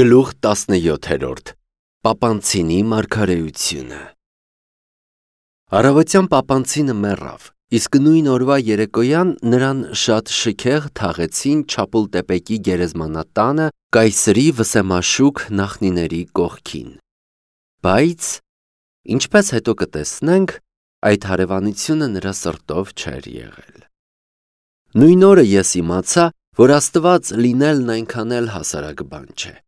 Գլուխ 17 Պապանցինի մարգարեությունը Առավոտյան Պապանցինը մեռավ, իսկ նույն օրվա երեկոյան նրան շատ շքեղ թաղեցին Չապուլտեպեկի գերեզմանատանը կայսրի վսեմաշուք նախնիների կողքին։ Բայց, ինչպես հետո կտեսնենք, այդ հարևանությունը նրա սրտով չէր եղել։ Նույն օրը ես իմացա, որ Աստված լինելն այնքան էլ հասարակ բան չէ։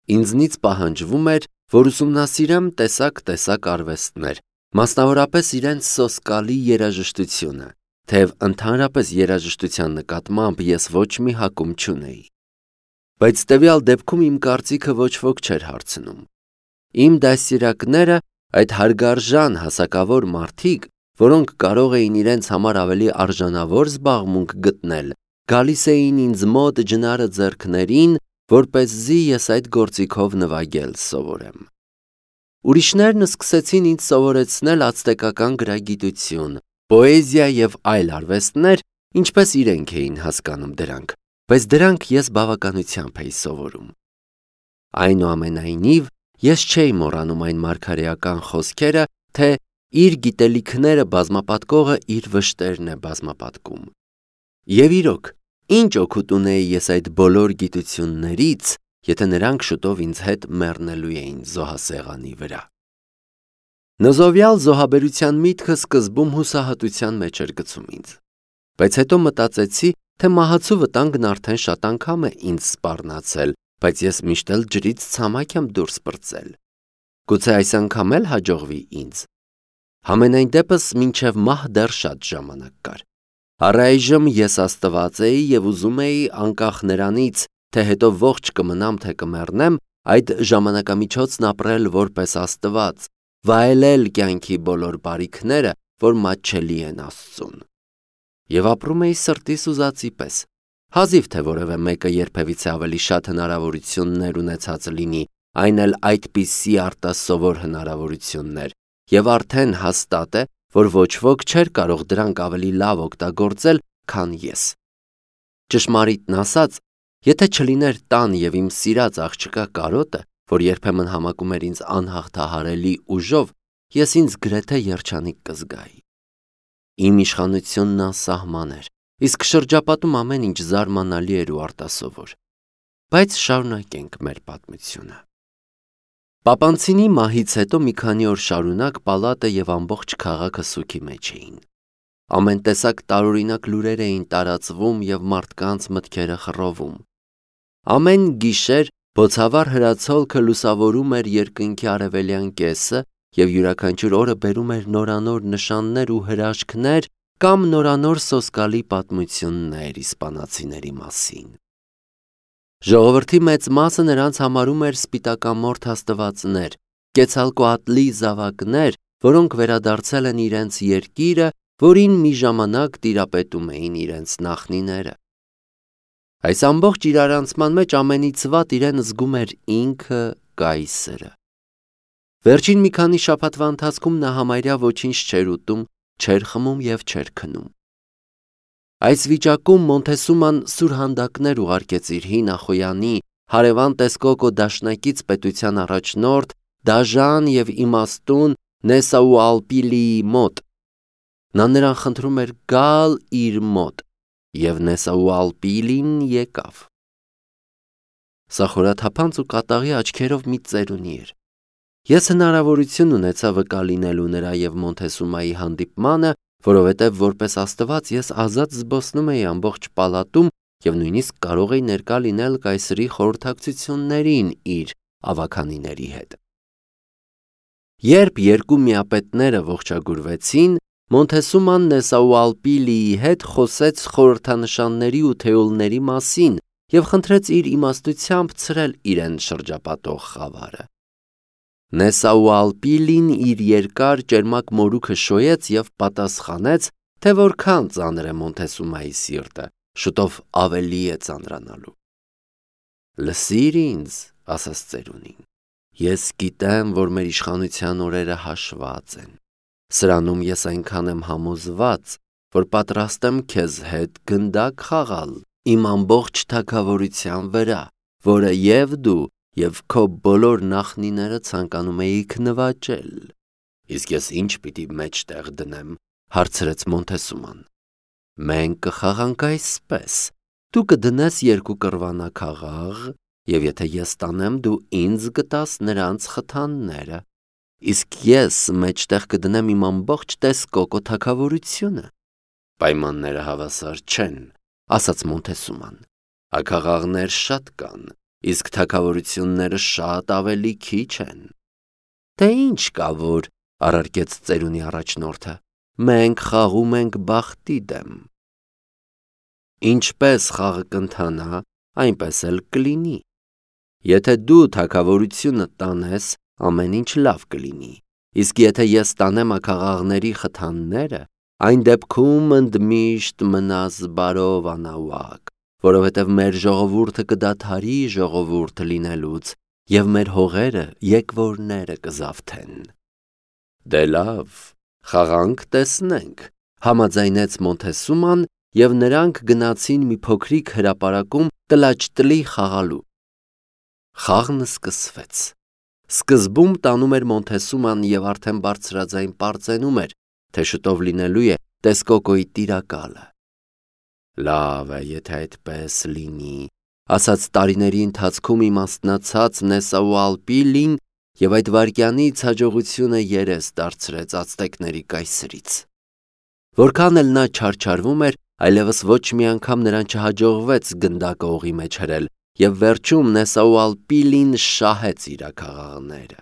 Ինձնից պահանջվում էր, որ ուսումնասիրեմ տեսակ արվեստներ, մասնավորապես իրենց սոսկալի երաժշտությունը, թեև ընդհանրապես երաժշտության նկատմամբ ես ոչ մի հակում չունեի։ Բայց տվյալ դեպքում իմ կարծիքը ոչ ոք չէր հարցնում։ Իմ դասերակները, այդ հարգարժան հասակավոր մարդիկ, որոնք կարող էին իրենց համար ավելի արժանավոր զբաղմունք գտնել, գալիս էին ինձ մոտ ջնարը ձեռքներին, որպեսզի ես այդ գործիքով նվագել սովորեմ։ Ուրիշներն սկսեցին ինձ սովորեցնել ացտեկական գրագիտություն, պոեզիա և այլ արվեստներ, ինչպես իրենք էին հասկանում դրանք, բայց դրանք ես բավականությամբ էի սովորում։ Այնուամենայնիվ, ես չէի մոռանում այն մարգարեական խոսքերը, թե իր գիտելիքները բազմապատկողը իր վշտերն է բազմապատկում։ Եվ իրոք, ինչ օգուտ ունեի ես այդ բոլոր գիտություններից, եթե նրանք շուտով ինձ հետ մեռնելու էին զոհասեղանի վրա։ Նզովյալ զոհաբերության միտքը սկզբում հուսահատության մեջ էր գցում ինձ, բայց հետո մտածեցի, թե մահացու վտանգն արդեն շատ անգամ է ինձ սպառնացել, բայց ես միշտ էլ ջրից ցամաք եմ դուրս պրծել։ Գուցե այս անգամ էլ հաջողվի ինձ։ Համենայն դեպս մինչև մահ դեռ շատ ժամանակ կար։ Առայժմ ես Աստված էի և ուզում էի անկախ նրանից, թե հետո ողջ կմնամ, թե կմեռնեմ, այդ ժամանակամիջոցն ապրել որպես Աստված, վայելել կյանքի բոլոր բարիքները, որ մատչելի են Աստծուն։ Եվ ապրում էի սրտիս ուզածի պես։ Հազիվ թե որևէ մեկը երբևիցե ավելի շատ հնարավորություններ ունեցած լինի, այն էլ այդպիսի արտասովոր հնարավորություններ, և արդեն հաստատ է, որ ոչ ոք չէր կարող դրանք ավելի լավ օգտագործել, քան ես։ Ճշմարիտն ասած, եթե չլիներ տան և իմ սիրած աղջկա կարոտը, որ երբեմն համակում էր ինձ անհաղթահարելի ուժով, ես ինձ գրեթե երջանիկ կզգայի։ Իմ իշխանությունն անսահման էր, իսկ շրջապատում ամեն ինչ զարմանալի էր ու արտասովոր։ Բայց շարունակենք մեր պատմությունը։ Պապանցինի մահից հետո մի քանի օր շարունակ պալատը և ամբողջ քաղաքը սուգի մեջ էին։ Ամեն տեսակ տարօրինակ լուրեր էին տարածվում և մարդկանց մտքերը խռովում։ Ամեն գիշեր բոցավառ հրացոլքը լուսավորում էր երկնքի արևելյան կեսը և յուրաքանչյուր օրը բերում էր նորանոր նշաններ ու հրաշքներ կամ նորանոր սոսկալի պատմություններ իսպանացիների մասին։ Ժողովրդի մեծ մասը նրանց համարում էր սպիտակամորթ աստվածներ, Կեցալկոատլի զավակներ, որոնք վերադարձել են իրենց երկիրը, որին մի ժամանակ տիրապետում էին իրենց նախնիները։ Այս ամբողջ իրարանցման մեջ ամենից վատ իրեն զգում էր ինքը կայսրը։ Վերջին մի քանի շաբաթվա ընթացքում նա համարյա ոչինչ չէր ուտում, չէր խմում և չէր քնում։ Այս վիճակում Մոնթեսուման սուրհանդակներ ուղարկեց իր հին Ախոյանի, հարևան Տեսկոկո դաշնակից պետության առաջնորդ, դաժան և իմաստուն Նեսաուալպիլիի մոտ։ Նա նրան խնդրում էր գալ իր մոտ, և Նեսաուալպիլին եկավ։ Սա խորաթափանց ու կատաղի աչքերով մի ծերունի էր։ Ես հնարավորություն ունեցա վկա լինելու նրա և Մոնթեսումայի հանդիպմանը, որովհետև որպես Աստված ես ազատ զբոսնում էի ամբողջ պալատում և նույնիսկ կարող էի ներկա լինել կայսրի խորհրդակցություններին իր ավագանիների հետ։ Երբ երկու միապետները ողջագուրվեցին, Մոնթեսուման Նեսաուալպիլիի հետ խոսեց խորհրդանշանների ու թեոլների մասին և խնդրեց իր իմաստությամբ ցրել իրեն շրջապատող խավարը։ Նեսաուալպիլին իր երկար ճերմակ մորուքը շոյեց և պատասխանեց, թե որքան ծանր է Մոնթեսումայի սիրտը, շուտով ավելի է ծանրանալու։ Լսիր ինձ, ասաց ծերունին, ես գիտեմ, որ մեր իշխանության օրերը հաշված են։ Սրանում ես այնքան եմ համոզված, որ պատրաստ եմ քեզ հետ գնդակ խաղալ իմ ամբողջ թագավորության վրա, որը և դու, և քո բոլոր նախնիները ցանկանում էիք նվաճել։ Իսկ ես ինչ պիտի մեջտեղ դնեմ, հարցրեց Մոնթեսուման։ Մենք կխաղանք այսպես. դու կդնես 2 կռվանաքաղաղ, և եթե ես տանեմ, դու ինձ կտաս նրանց խթանները, իսկ ես մեջտեղ կդնեմ իմ ամբողջ Տեսկոկո թագավորությունը։ Պայմանները հավասար չեն, ասաց Մոնթեսուման։ Աքաղաղներ շատ կան, իսկ թագավորությունները շատ ավելի քիչ են։ Դե ինչ կա որ, առարկեց ծերունի առաջնորդը, մենք խաղում ենք բախտի դեմ։ Ինչպես խաղը կընթանա, այնպես էլ կլինի։ Եթե դու թագավորությունը տանես, ամեն ինչ լավ կլինի, իսկ եթե ես տանեմ աքաղաղների խթանները, այն դեպքում ընդմիշտ մնաս բարով անաուակ, որովհետև մեր ժողովուրդը կդադարի ժողովուրդ լինելուց, և մեր հողերը եկվորները կզավթեն։ Դե լավ, խաղանք տեսնենք, համաձայնեց Մոնթեսուման, և նրանք գնացին մի փոքրիկ հրապարակում տլաճտլի խաղալու։ Խաղն սկսվեց։ Սկզբում տանում էր Մոնթեսուման և արդեն բարձրաձայն պարծենում էր, թե շուտով լինելու է Տեսկոկոյի տիրակալը։ Լավ է, եթե այդպես լինի, ասաց տարիների ընթացքում իմաստնացած Նեսաուալպիլին և այդ վայրկյանից հաջողությունը երես դարձրեց ացտեկների կայսրից։ Որքան էլ նա չարչարվում էր, այլևս ոչ մի անգամ նրան չհաջողվեց գնդակը օղի մեջ հրել, և վերջում Նեսաուալպիլին շահեց իր աքաղաղները։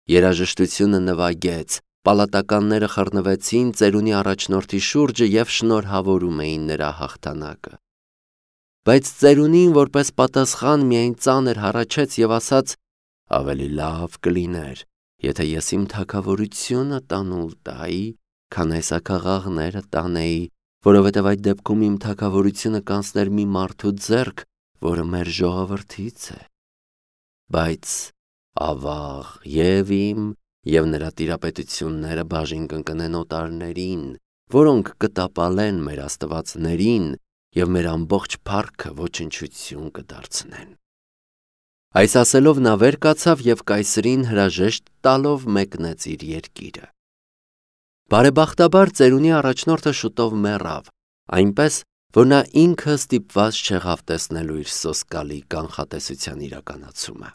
Երաժշտությունը նվագեց, պալատականները խռնվեցին ծերունի առաջնորդի շուրջը և շնորհավորում էին նրա հաղթանակը։ Բայց ծերունին որպես պատասխան միայն ծանր հառաչեց և ասաց. ավելի լավ կլիներ, եթե ես իմ թագավորությունը տանուլ տայի, քան այս աքաղաղները տանեի, որովհետև այդ դեպքում իմ թագավորությունը կանցներ մի մարդու ձեռք, որը մեր ժողովրդից է։ Բայց ավաղ և իմ և նրա տիրապետությունները բաժին կընկնեն օտարներին, որոնք կտապալեն մեր աստվածներին և մեր ամբողջ փառքը ոչնչություն կդարձնեն։ Այս ասելով նա վեր կացավ և կայսրին հրաժեշտ տալով մեկնեց իր երկիրը։ Բարեբախտաբար ծերունի առաջնորդը շուտով մեռավ, այնպես, որ նա ինքը ստիպված չեղավ տեսնելու իր սոսկալի կանխատեսության իրականացումը։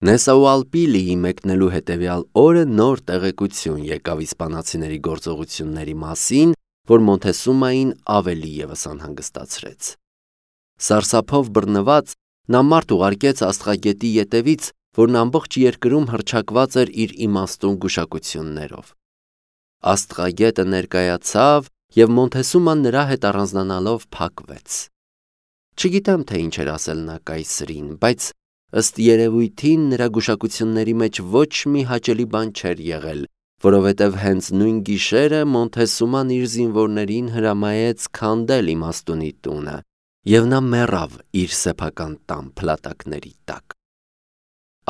Նեսաուալպիլիի մեկնելու հետևյալ օրը նոր տեղեկություն եկավ իսպանացիների գործողությունների մասին, որ Մոնթեսումային ավելի ևս անհանգստացրեց։ Սարսափով բռնված, նա մարդ ուղարկեց աստղագետի ետևից, որն ամբողջ երկրում հռչակված էր իր իմաստուն գուշակություններով։ Աստղագետը ներկայացավ, և Մոնթեսուման նրա հետ առանձնանալով փակվեց։ Չգիտեմ, թե ինչ էր ասել նա կայսրին, բայց ըստ երևույթին նրա գուշակությունների մեջ ոչ մի հաճելի բան չէր եղել, որովհետև հենց նույն գիշերը Մոնթեսուման իր զինվորներին հրամայեց քանդել իմաստունի տունը, և նա մեռավ իր սեփական տան փլատակների տակ։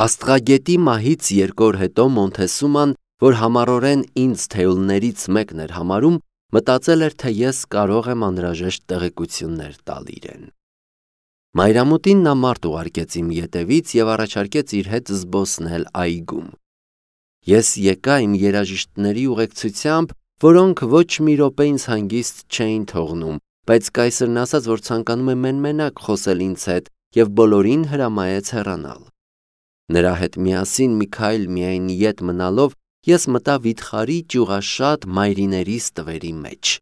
Աստղագետի մահից 2 օր հետո Մոնթեսուման, որ համառորեն ինձ թեյուլներից մեկն էր համարում, մտածել էր, թե ես կարող եմ անհրաժեշտ տեղեկություններ տալ իրեն։ Մայրամուտին նա մարդ ուղարկեց իմ ետևից և առաջարկեց իր հետ զբոսնել այգում։ Ես եկա իմ երաժիշտների ուղեկցությամբ, որոնք ոչ մի րոպե ինձ հանգիստ չէին թողնում, բայց կայսրն ասաց, որ ցանկանում է մենմենակ խոսել ինձ հետ և բոլորին հրամայեց հեռանալ։ Նրա հետ միասին մի քայլ միայն ետ մնալով, ես մտա վիթխարի ճյուղաշատ մայրիներիս տվերի մեջ։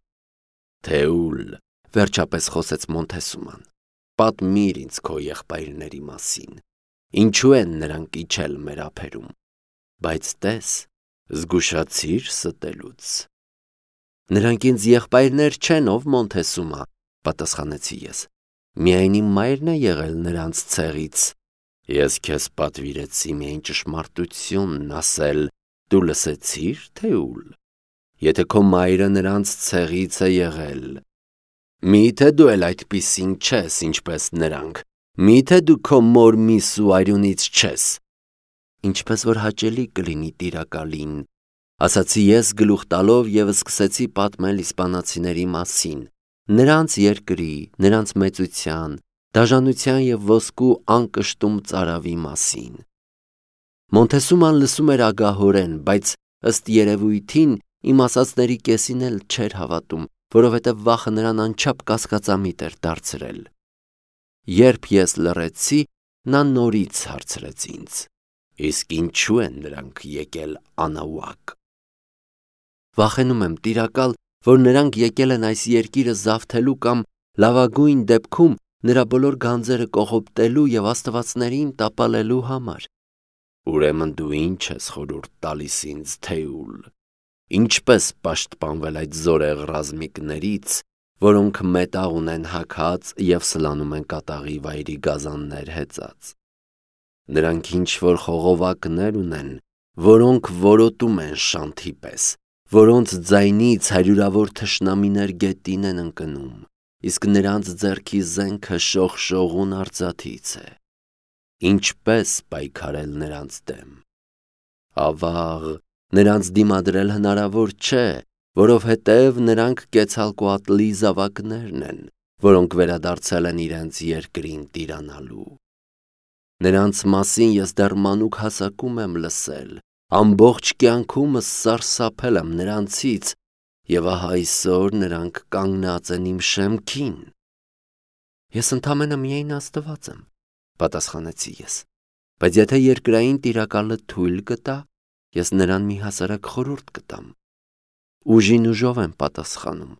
Թեուլ, վերջապես խոսեց Մոնթեսուման, պատմիր ինձ քո եղբայրների մասին, ինչու են նրանք իջել մեր ափերում, բայց տես, զգուշացիր ստելուց։ Նրանք ինձ եղբայրներ չեն, ով Մոնթեսումա, պատասխանեցի ես, միայն իմ մայրն է եղել նրանց ցեղից։ Ես քեզ պատվիրեցի միայն ճշմարտությունն ասել, դու լսեցի՞ր, Թեուլ։ Եթե քո մայրը նրանց ցեղից է եղել, մի՞թե դու էլ այդպիսին չես, ինչպես նրանք, մի՞թե դու քո մոր միսու արյունից չես։ Ինչպես որ հաճելի կլինի տիրակալին, ասացի ես գլուխ տալով և սկսեցի պատմել իսպանացիների մասին, նրանց երկրի, նրանց մեծության, դաժանության և ոսկու անկշտում ծարավի մասին։ Մոնթեսուման լսում էր ագահորեն, բայց ըստ երևույթին իմ ասածների կեսին էլ չէր հավատում, որովհետև վախը նրան անչափ կասկածամիտ էր դարձրել։ Երբ ես լռեցի, նա նորից հարցրեց ինձ. «Իսկ ինչու են նրանք եկել Անաուակ»։ Վախենում եմ, տիրակալ, որ նրանք եկել են այս երկիրը զավթելու կամ լավագույն դեպքում նրա բոլոր գանձերը կողոպտելու և աստվածներին տապալելու համար։ Ուրեմն դու ինչ ես խորհուրդ տալիս ինձ, Թեուլ, ինչպես պաշտպանվել այդ զորեղ ռազմիկներից, որոնք մետաղ ունեն հագած և սլանում են կատաղի վայրի գազաններ հեծած։ Նրանք ինչ-որ խողովակներ ունեն, որոնք որոտում են շանթի պես, որոնց ձայնից հարյուրավոր թշնամիներ գետին են ընկնում, իսկ նրանց ձեռքի զենքը շողշողուն արծաթից է։ Ինչպես պայքարել նրանց դեմ։ Ավաղ, նրանց դիմադրել հնարավոր չէ, որովհետև նրանք Կեցալկոատլի զավակներն են, որոնք վերադարձել են իրենց երկրին տիրանալու։ Նրանց մասին ես դեռ մանուկ հասակում եմ լսել, ամբողջ կյանքումս սարսափել եմ նրանցից, և ահա այսօր նրանք կանգնած են իմ շեմքին։ Ես ընդամենը միայն Աստված եմ, պատասխանեցի ես, բայց եթե երկրային տիրակալը թույլ կտա, ես նրան մի հասարակ խորհուրդ կտամ։ Ուժին ուժով եմ պատասխանում։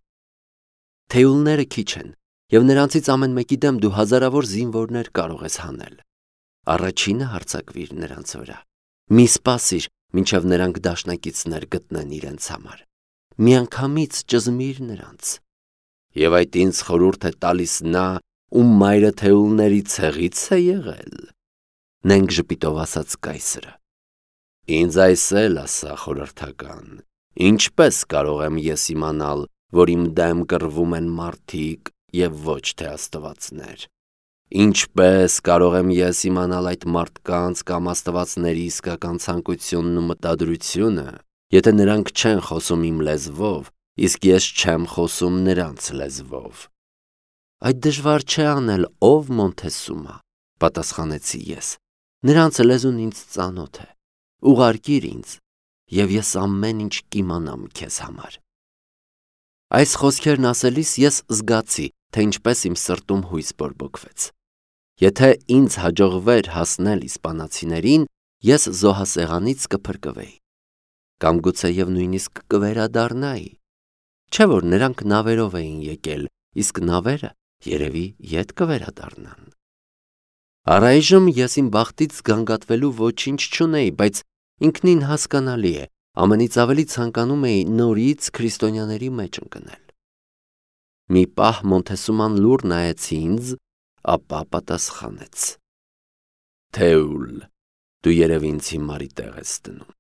Թեուլները քիչ են, և նրանցից ամեն մեկի դեմ դու հազարավոր զինվորներ կարող ես հանել։ Առաջինը հարձակվիր նրանց վրա։ Մի սպասիր, մինչև նրանք դաշնակիցներ գտնեն իրենց համար։ Միանգամից ճզմիր նրանց։ Եվ այդ ինձ խորհուրդ է տալիս նա, ում մայրը թեուլների ցեղից է եղել, նենք ժպիտով ասաց կայսրը։ Ինձ այս էլ ասա, խորհրդական, ինչպես կարող եմ ես իմանալ, որ իմ դեմ կռվում են մարդիկ և ոչ թե աստվածներ։ Ինչպես կարող եմ ես իմանալ այդ մարդկանց կամ աստվածների իսկական ցանկությունն ու մտադրությունը, եթե նրանք չեն խոսում իմ լեզվով, իսկ ես չեմ խոսում նրանց լեզվով։ Այդ դժվար չէ անել, ով Մոնթեսումա, պատասխանեցի ես։ Նրանց լեզուն ինձ ծանոթ է։ Ուղարկիր ինձ, և ես ամեն ինչ կիմանամ քեզ համար։ Այս խոսքերն ասելիս ես զգացի, թե ինչպես իմ սրտում հույս բորբոքվեց։ Եթե ինձ հաջողվեր հասնել իսպանացիներին, ես զոհասեղանից կփրկվեի։ Կամ գուցեև նույնիսկ կվերադառնայի։ Չէ՞ որ նրանք նավերով էին եկել, իսկ նավերը երևի ետ կվերադառնան։ Առայժմ ես իմ բախտից զգանգատվելու ոչինչ չունեի, բայց ինքնին հասկանալի է, ամենից ավելի ցանկանում էի նորից քրիստոնյաների մեջ ընկնել։ Մի պահ Մոնթեսուման լուռ նայեց ինձ, ապա պատասխանեց. Թեուլ, դու երևի ինձ հիմարի տեղ ես դնում։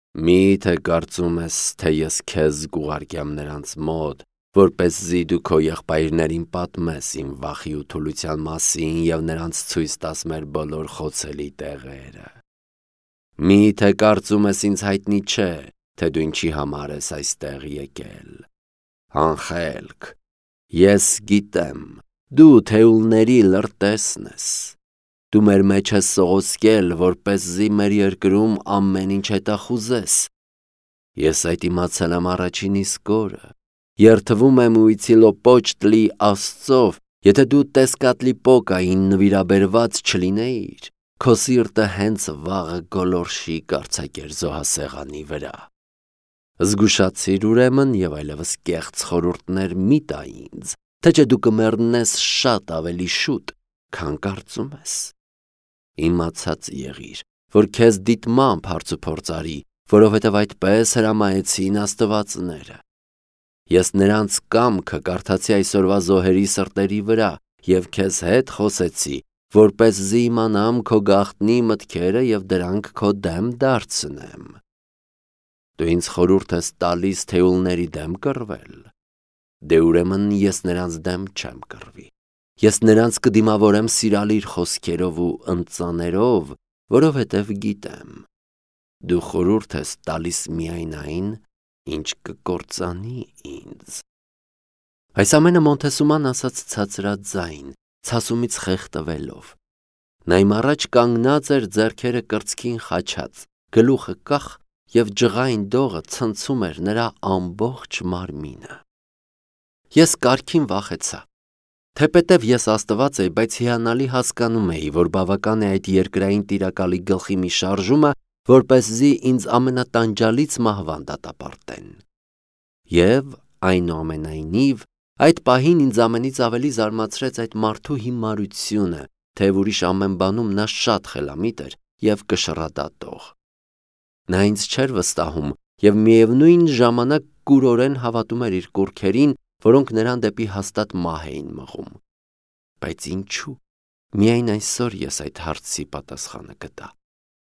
Մի՞թե կարծում ես, թե ես քեզ կուղարկեմ նրանց մոտ, որպեսզի դու քո եղբայրներին պատմես իմ վախի ու թուլության մասին և նրանց ցույց տաս մեր բոլոր խոցելի տեղերը։ Մի՞թե կարծում ես ինձ հայտնի չէ, թե դու ինչի համար ես այստեղ եկել։ Անխելք, ես գիտեմ, դու թեուլների լրտեսն ես։ Դու մեր մեջ ես սողոսկել, որպեսզի մեր երկրում ամեն ինչ հետախուզես։ Ես այդ իմացել եմ առաջին իսկ օրը։ Երդվում եմ Ուիցիլոպոչտլի Աստծով, եթե դու Տեսկատլիպոկային նվիրաբերված չլինեիր, քո սիրտը հենց վաղը գոլորշի կարձակեր զոհասեղանի վրա։ Զգուշացիր ուրեմն և այլևս կեղծ խորհուրդներ մի տա ինձ, թե չէ դու կմեռնես շատ ավելի շուտ, քան կարծում ես։ Իմացած եղիր, որ քեզ դիտմամբ հարցուփորձ արի, որովհետև այդպես հրամայեցին աստվածները։ Ես նրանց կամքը կարդացի այսօրվա զոհերի սրտերի վրա և քեզ հետ խոսեցի, որպեսզի իմանամ քո գաղտնի մտքերը և դրանք քո դեմ դարձնեմ։ Դու ինձ խորհուրդ ես տալիս թեուլների դեմ կռվել։ Դե ուրեմն ես նրանց դեմ չեմ կռվի։ Ես նրանց կդիմավորեմ սիրալիր խոսքերով ու ընծաներով, որովհետև գիտեմ։ Դու խորհուրդ ես տալիս միայն այն, ինչ կկործանի ինձ։ Այս ամենը Մոնթեսուման ասաց ցածրաձայն, ցասումից խեղդվելով։ Նա իմ առաջ կանգնած էր ձեռքերը կրծքին խաչած, գլուխը կախ և ջղային դողը ցնցում էր նրա ամբողջ մարմինը։ Ես կարգին վախեցա։ Թեպետև ես Աստված էի, բայց հիանալի հասկանում էի, որ բավական է այդ երկրային տիրակալի գլխի մի շարժումը, որպեսզի ինձ ամենատանջալից մահվան դատապարտեն։ Եվ այնուամենայնիվ, այդ պահին ինձ ամենից ավելի զարմացրեց այդ մարդու հիմարությունը, թեև ուրիշ ամեն բանում նա շատ խելամիտ էր և կշռադատող։ Նա ինձ չէր վստահում և միևնույն ժամանակ կուրորեն հավատում էր իր կուռքերին, որոնք նրան դեպի հաստատ մահ էին մղում։ Բայց ինչու՞։ Միայն այսօր ես այդ հարցի պատասխանը գտա։